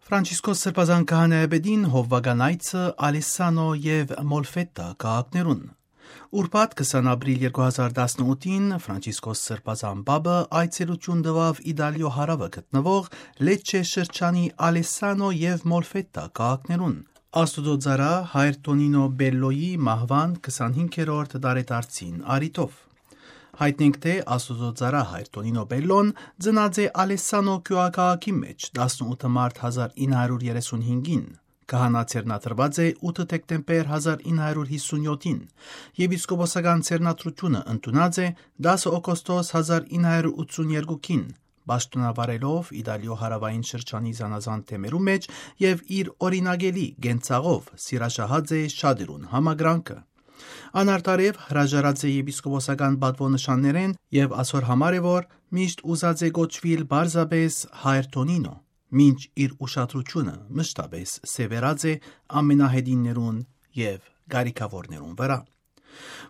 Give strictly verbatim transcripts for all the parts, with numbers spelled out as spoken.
Ֆրանցիսկոս Սրբազան քահանայապետին հովվական այցը Ալեսանո և Մոլֆետա քաղաքներուն։ Ուրբաթ քսան ապրիլ երկու հազար տասնութին Ֆրանցիսկոս Սրբազան Պապը այցելություն տվավ Իտալիո հարավը գտնվող Լեչե շրջանի Ալեսանո և Մոլֆետա քաղաքներուն։ Աստուծո ծառա Հայր Տոնինո Բելլոյի մահվան քսանհինգերորդ տարեդարձին առիթով։ Հայտնենք, թե Աստուծո ծառա Հայր Տոնինո Բելլոն ծնած է Ալեսանո գյուղաքաղաքի մեջ տասնութ մարտ հազար ինը հարյուր երեսունհինգին, քահանա ցերնադրված է ութ դեկտեմբեր հազար ինը հարյուր հիսունյոթին, եպիսկոպոսական ցերնադրությունը ընդունած է դասը օգոստոս հազար ինը հարյուր ութսունյոթին, պաշտոնավարելով Իտալիո հարավային շրջանի զանազան թեմերու մեջ եւ իր օրինագելի գենցաղով սիրաշահած է շատերուն համագրանքը։ Անարտարև հրաժարած է եպիսկոպոսական պատվոնշաններեն եւ այսօր համար է, որ միշտ ուզած է գոչվիլ բարձաբես Հայր Տոնինո, մինչ իր ուշադրությունը մշտապես սևեռած է ամենահետիններուն եւ գարիքավորներուն վրա։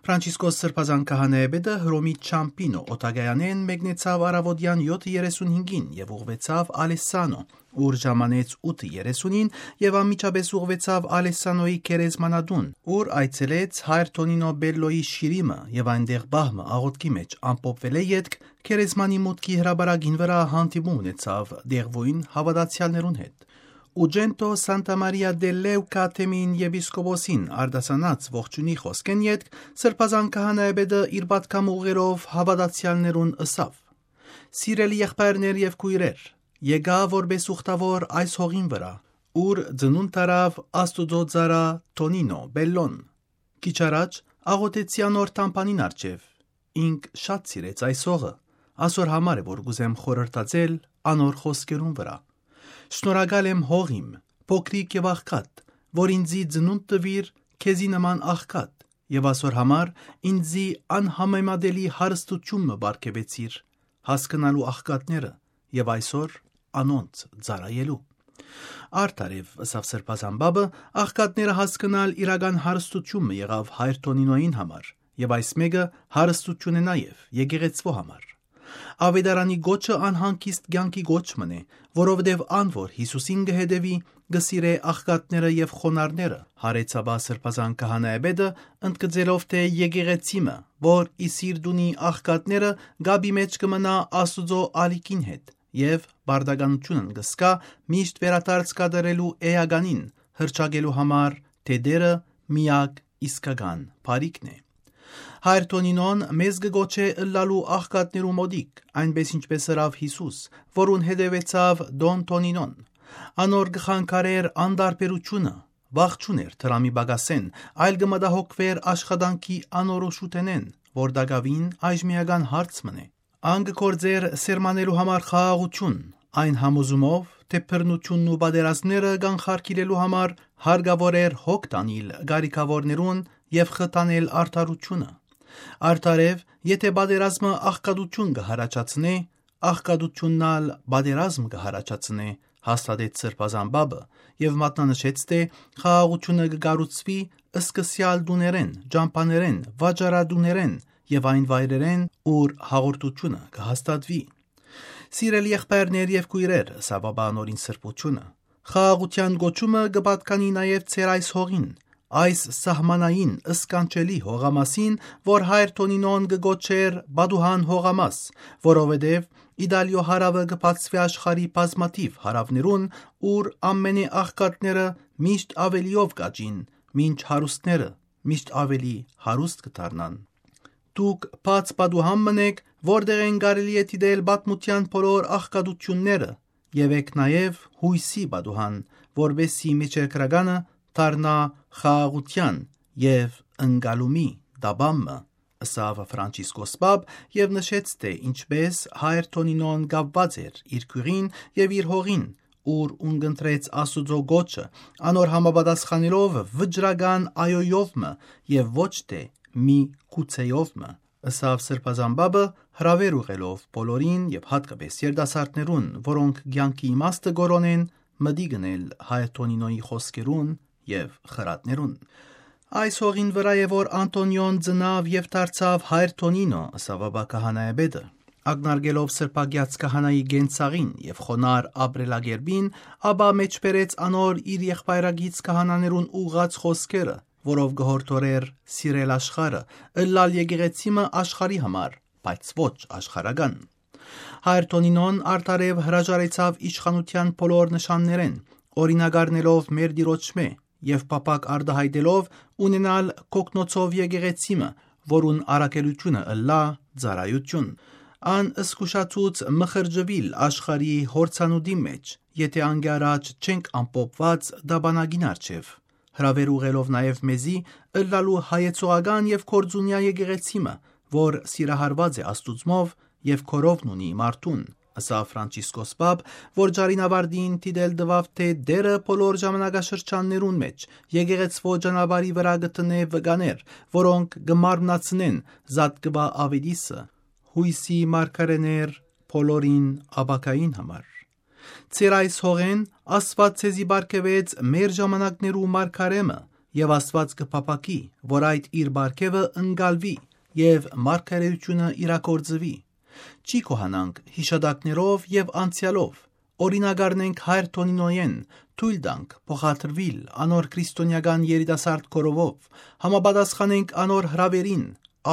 Ֆրանցիսկոս Սրբազան քահանայապետը Հռոմի Չամպինո օտագայանեն մեկնեցավ առավոտյան յոթ երեսունհինգին եւ ուղղվեցավ Ալեսանո, ուր ժամանեց ութ երեսունին եւ անմիջապես ուղղվեցավ Ալեսանոյի գերեզմանատուն, ուր այցելեց Հայր Տոնինո Բելլոյի շիրիմը եւ այնտեղ բահմը աղոթքի մեջ ամփոփվել է յետք գերեզմանի մուտքի հրաբարագին վրա հանդիպում ունեցավ դեղվույն հավատացյալներուն հետ։ Ուջենտո Սանտա Մարիա դե Լևկա թեմին եպիսկոպոսին արդասանած ողջունի խոսքեն յետք Սրբազան քահանայապետը իր պատգամ ուղերով հավատացյալներուն ըսավ. «Սիրելի եղբայրներ եւ քույրեր, եկա որպես ուխտավոր այս հողին վրա, ուր ծնունդ տարավ Աստուծո ծառա Տոնինո Բելլոն։ Քիչ առաջ աղոթեցի անոր տամբանին առջև, ինք շատ սիրեց այս հողը, այսօր համար է, որ գուզեմ խորհրդածել անոր խոսքերուն վրա։ Շնորհակալ եմ հողիմ, փոքրիկ եւ աղքատ, որ ինձի ծնունդ տվիր քեզի նման աղքատ, եւ այսօր համար ինձի անհամեմատելի հարստություն մը բարգեւեցիր, հասկանալու աղքատները եւ այսօր անոնց ծառայելու»։ Արդարև ըսավ Սրբազան Պապը, աղքատները հասկանալ իրական հարստությունը եղավ Հայր Տոնինոյին համար, եւ այս մեկը հարստություն է նաեւ եկեղեցվո համար։ Ավետարանի գոչը անհանգիստ կյանքի գոչ մնե, որովհետև ան որ Հիսուսին կհետևի, կսիրե աղքատները եւ խոնարհները։ Հարեցաբա Սրբազան քահանայապետը ընդգծելով, թե եկեղեցիմը, որ իսիր դունի աղքատները, գաբի մեջ կմնա Աստուծո ալիքին հետ եւ բարդականությունն կսկա միշտ վերադարձ կատարելու էականին հրճակելու համար, թե դերը միակ իսկական բարիքն է։ Հայր Տոնինոն մեզ կգոչե ըլլալու աղքատներու մոտիկ, այնպես ինչպես ըրավ Հիսուս, որուն հետևեցավ Դոն Տոնինոն։ Անոր կխանգարեր անտարբերությունը, վախ չուներ դրամի բագասեն, այլ կմտահոգվեր աշխատանքի անորոշութենեն, որ դակավին այժմիական հարց մնե։ Ան կգործեր սերմանելու համար խաղաղություն, այն համոզումով, թե բռնությունն ու պատերազմները կանխարգելելու համար հարկավոր էր հոգ տանել գարիքավորներուն եւ խտանել արդարությունը։ Արդարև, եթե պատերազմը աղքատություն կհարաճացնե, աղքատությունն ալ պատերազմ կհարաճացնե, հաստատեց Սրբազան Պապը եւ մատնանշեց, թե խաղաղությունը կկառուցվի սկսյալ դուներեն, ջամփաներեն, վաճառադուներեն եւ այն վայրերեն, ուր հաղորդությունը կհաստատվի։ Սիրելի եղբայրներ եւ քույրեր, սա Պապանորին սրբությունը, խաղաղության գոչումը կպատկանի նաեւ ցեր այս հողին, այս սահմանային ըսկանչելի հողամասին, որ Հայր Տոնինոն կգոչեր Բադուհան հողամաս, որովհետև Իտալիո հարավը կբացվի աշխարհի բազմաթիվ հարավներուն, ուր ամենե աղքատները միշտ ավելիով կաճին, մինչ հարուստները միշտ ավելի հարուստ կդառնան։ Դուք բաց Բադուհան մնեք, որտեղ են կարելի է դիտել պատմության բոլոր աղքատությունները, եւ եք նաեւ հույսի Բադուհան, որովհետեւ միջերկրականը դառնա խաղաղության եւ ընկալումի դաբամը, ըսավ Ֆրանցիսկոս Պապ եւ նշեց, թե ինչպես Հայր Տոնինոն կապված էր իր քույրին եւ իր հողին, ուր ունկնդրեց Աստուծո գոչը, անոր համապատասխանելով վճռական այոյովմը եւ ոչ թե մի գուցեյովմը, ըսավ Սրբազան Պապը հրավեր ուղելով բոլորին եւ հատկապես երիտասարդներուն, որոնք կյանքի իմաստը գորոնեն, մտի գնել Հայր Տոնինոյի խոսքերուն եւ խրատներուն։ Այս հողին վրա է, որ Անտոնիոն ծնավ եւ դարձավ Հայր Տոնինո, ըսավ Պապա քահանայապետը, Ագնարգելով սրբագյաց քահանայի գենցաղին եւ խոնար ապրելագերբին, ապա մեջբերեց անոր իր եղբայրագից քահանաներուն ուղղած խոսքերը, որով գհորդորեր սիրել աշխարը, ըլլալ եկեղեցիմը աշխարի համար, բայց ոչ աշխարական։ Հայր Տոնինոն արդարև հրաժարեցավ իշխանության բոլոր նշաններեն, օրինագարնելով մեր դիրոճմե եւ պապակ արդահայտելով ունենալ կոգնոցով եկեղեցիմը, որուն արակելությունը ըլլա ծարայություն։ Ան ըսկուշացուց մխրջվիլ աշխարի հորցանուդի մեջ, եթե անգարաջ չենք ամպոպված դաբանագին արջև, հրավեր ուղելով նաև մեզի ըլլալու հայեցողական եւ կորձունյա եկեղեցիմը, որ սիրահարված է աստուծմով եւ քորովն ունի մարդուն, ըսա Ֆրանցիսկոս Պապ, որ Ջարինավարդին տիդել դվավ թե դերը բոլոր ժամանակաշրջաններուն մեջ եկեղեցվո ճանապարհի վրա գտնե վկաներ, որոնք գմարմնացնեն զատկվա ավետիսը, հույսի մարգարեներ բոլորին աբակային համար։ Ձեր այս հողեն Աստված ցեզի բարգեւեց մեր ժամանակներու մարգարեմը եւ Աստված կփապակի, որ այդ իր բարգեւը ընկալվի եւ մարգարեությունը իրակորձվի։ Չի կոհանանք հիշադակներով եւ անցյալով, օրինագարնենք հայր Տոնինոյեն, թույլ տանք փոխադրվիլ անոր քրիստոնեական երիտասարդ կորովով, համապատասխանենք անոր հրավերին,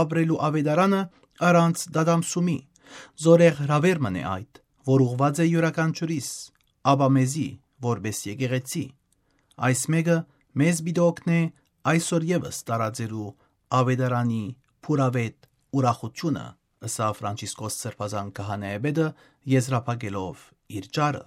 ապրելու ավետարանը առանց դադամսումի, զորեղ հրավեր մնե այդ, որ ուղված է յուրաքանչյուրիս, ապա մեզի, որպես եկեղեցի։ Այս մեկը մեզ բիդոքն է այսօր եւս տարածելու ավետարանի փուրավետ ուրախությունը, ըսա Ֆրանցիսկոս Սրբազան քահանայապետը եզրափակելով իր ճարը։